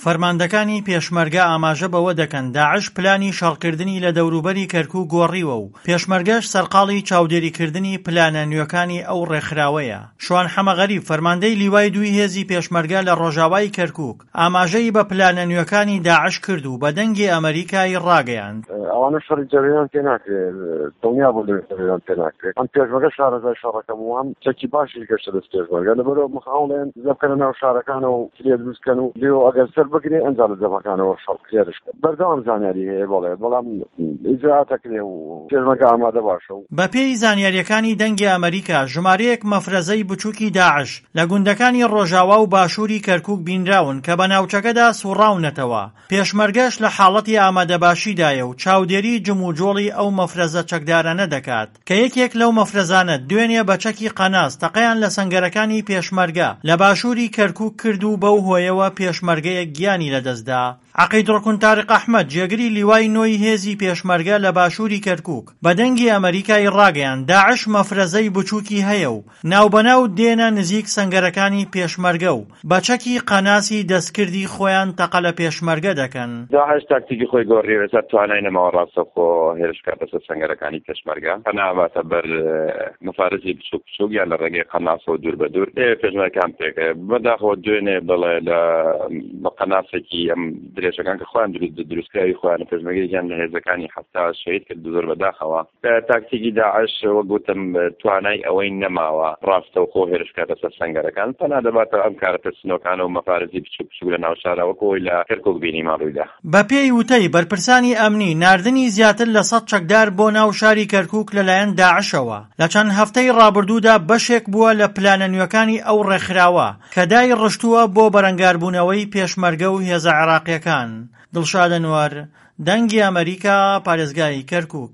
فەرماندەکانی پێشمەرگە ئاماژە بەوە دەکەن داعش پلانی شەڕکردنی لە دەوروبەری کەرکوک گۆڕیوە و پێشمەرگەش سەرقاڵی چاودێریکردنی پلانە نوێکانی ئەو ڕێکخراوەیە. شوان حەمەغەریب، فەرماندەی لیوای دووی هێزی پێشمەرگە لە ڕۆژاوای کەرکوک، ئاماژەی بە پلانە نوێکانی داعش کرد و بە دەنگی ئەمەریکای ڕاگەیاند. ئەوانە شەڕی جەبهەیان پێ ناکرێ، دڵنیا بوون لەوەی جەبهەیان پێ ناکرێ. هەم پێشمەرگە شارەزای شەڕەکە بوو، هەم چەکی باشیش گەشتە دەست پێشمەرگە. لەبەرئەوە هەوڵێن دزە بکەنە ناو شارەکانەوە و کرێ دروست کەن و لێو ئەگەر سەر بگرێ ئەنجا لە جەبهەکانەوە شەڕ هێرش کەن. بەردەوام زانیاری هەیە بەڵێ، بەڵام ئیجرائات ئەکرێ و پێشمەرگە ئامادە باشە و. بەپێی زانیارییەکانی دەنگی ئەمەریکا، ژمارەیەک مەفرەزەی بچووکی داعش لە گوندەکانی ڕۆژاوا و باشووری کەرکووک بینراون کە بە ناوچەکەدا سوڕاونەتەوە، پێشمەرگەش لە حاڵەتی ئامادەباشیدایە و چاودێری جموجۆڵی ئەو مەفرەزە چەکدارانە دەکات، کە یەکێک لەو مەفرەزانە دوێنێ بە چەکی قەناس تەقەیان لە سەنگەرەکانی پێشمەرگە لە باشووری کەرکووک کرد و بەو هۆیەوە پێشمەرگەیەک گیانی لەدەستدا. عەقید ڕوکن تاریق ئەحمەد، جێگری لیوای نۆی هێزی پێشمەرگە لە باشووری کەرکووک، بە دەنگی ئەمەریکای ڕاگەیاند، داعش مەفرەزەی بچووکی هەیە و ناوبەناو دێنە نزیک سەنگەرەکانی پێشمەرگە و بە چەکی قەناسی دەستکردی خۆیان تەقە لە پێشمەرگە دەکەن. داعش تاکتیکی خۆی گۆڕیوە، ئێستا توانای نەماوە ڕاستەوخۆ هێرش بکاتە سەر سەنگەرەکانی پێشمەرگە، پەنا ئەباتە بەر مەفارزی بچووک بچووک یان لە ڕێگەی قەناسەوە دوور بە دوور دەیەوێت پێشمەرگەکان پێکەوێ. بەداخەوە دوێنێ بەڵێ لە بە قەناسێکی ئەم درێژەکان کە خۆیان دروست دروستکراوی خۆیانە پێشمەرگەیەکیان لە هێزەکانی 70 شەهید کرد زۆر بەداخەوە. تاکتیکی داعش وەک وتم توانای ئەوەی نەماوە ڕاستەوخۆ هێرش بکاتە سەر سەنگەرەکان، پەنا دەباتە ئەم کارە ترسنۆکانە و مەفارزی بچووک بچووک لە ناو شارا وەک ئەوەی لە کەرکوک بینیمان ڕوویدا. بەپێی وتەی بەرپرسانی ئەمنی، ناردنی زیاتر لە 100 چەکدار بۆ ناو شاری کەرکوک لەلایەن داعشەوە لە چەند هەفتەی ڕابردوودا بەشێک بووە لە پلانە نوێکانی ئەو ڕێکخراوە کە دایڕشتووە بۆ بەرەنگاربوونەوەی پێشمەرگە و هێزە عێراقییەکان. دڵشاد ئەنوەر، دەنگی ئەمەریکا، پارێزگای کەرکوک.